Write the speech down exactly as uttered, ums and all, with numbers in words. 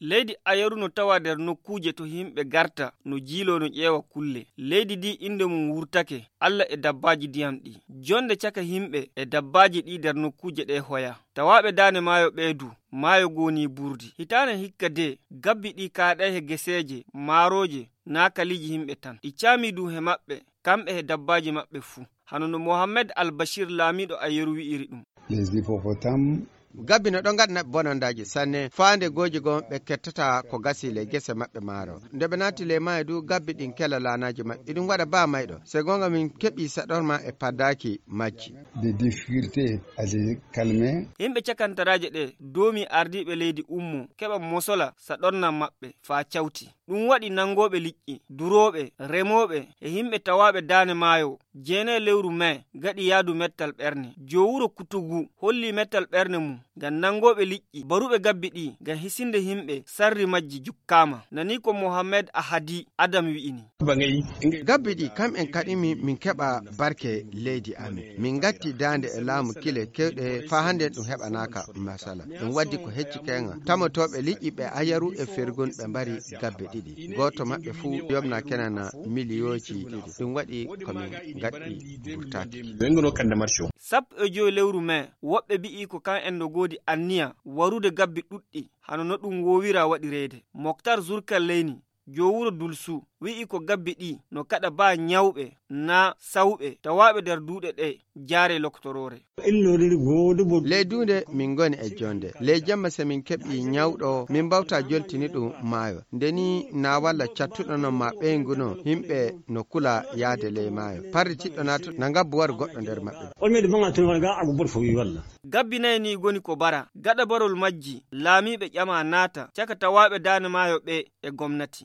leydi Ayeru no tawa nder nokkuje to himɓe garta no jiilo no ƴeewa kulle. Leydi ndi inde mum wurtake Allah e dabbaji ndiyam ɗi. Jonde caka himɓe e dabbaji ɗi nder nokkuje ɗe hoya. Tawaɓe daane maayo ɓeydu, maayo goni burdi. Hitaane hikka de gabbi ɗi kaaɗay he geseeje, maaroje, naa kaliji himɓe tan. Ɗi caami du he maɓɓe, kamɓe he dabbaji maɓɓe fuu. Hano no Mohammed Al-Bashir laamiɗo Ayeru wi'iri ɗum. Les hippopotames gabbi no ɗon gaɗana bonondaji sanne faande goji gon ɓe kettata ko gasi le gese maɓɓe maaro nde ɓe naati le maayo du gabbi ɗin kela laanaji maɓɓe iɗum waɗa ba mayɗo se gonga min keɓi saɗorma e paddaki majji des difficultés à les calmer. Himɓe cakantaraje ɗe domi ardiɓe leydi ummo keɓa mosola saɗornan maɓɓe faa cawti. Ɗum waɗi nangoɓe liƴƴi, duroɓe, remoɓe e himɓe tawaɓe daane maayo jeene lewru mai gaɗi yaadu mettal ɓerne. Jowuro Kutugu holli mettal ɓerne mum ngam nangoɓe liƴƴi baruɓe gabbi ɗi ngam hisinde himɓe sarri majji jukkama. Nani ko Mohammed Ahadi Adam wi'ini. Gabbi ɗi kam en kaɗimi min keɓa barke leydi amin. Min gatti daande e laamu kile kewɗe fa hande ɗum heɓanaka masala. Ɗum waddi ko hecci kenga tamotoɓe liƴƴi ɓe Ayeru e Fergun ɓe mbari gabbe ɗiɗi. Goto maɓɓe fuu yomna kenana miliyoji ɗiɗi. Ɗum waɗi komin gaɗɗi burtaki. Sappo e joyi lewru mai woɓɓe bi'i ko kan en no godi anniya warude gabbi ɗuɗɗi hano no ɗum wowira waɗirede. Moktar Zurkalleyni jowuro Dulsu wi'i ko gabbi ɗi no kaɗa ba nyawɓe na sawɓe tawaɓe nder duuɗe ɗe jaare loktorore. Ley dunde min goni e jonde ley jamma se min keɓi nyawɗo min bawta joltini ɗum maayo ndeni na walla cattuɗo non ma ɓeyguno himɓe no kula yaade ley maayo parri tiɗɗo nato na ngabbu war goɗɗo nder maɓɓe. Gabbi nayi ni goni ko bara gaɗa barol majji laamiɓe ƴama naata caka tawaɓe daane maayo ɓe e gomnati.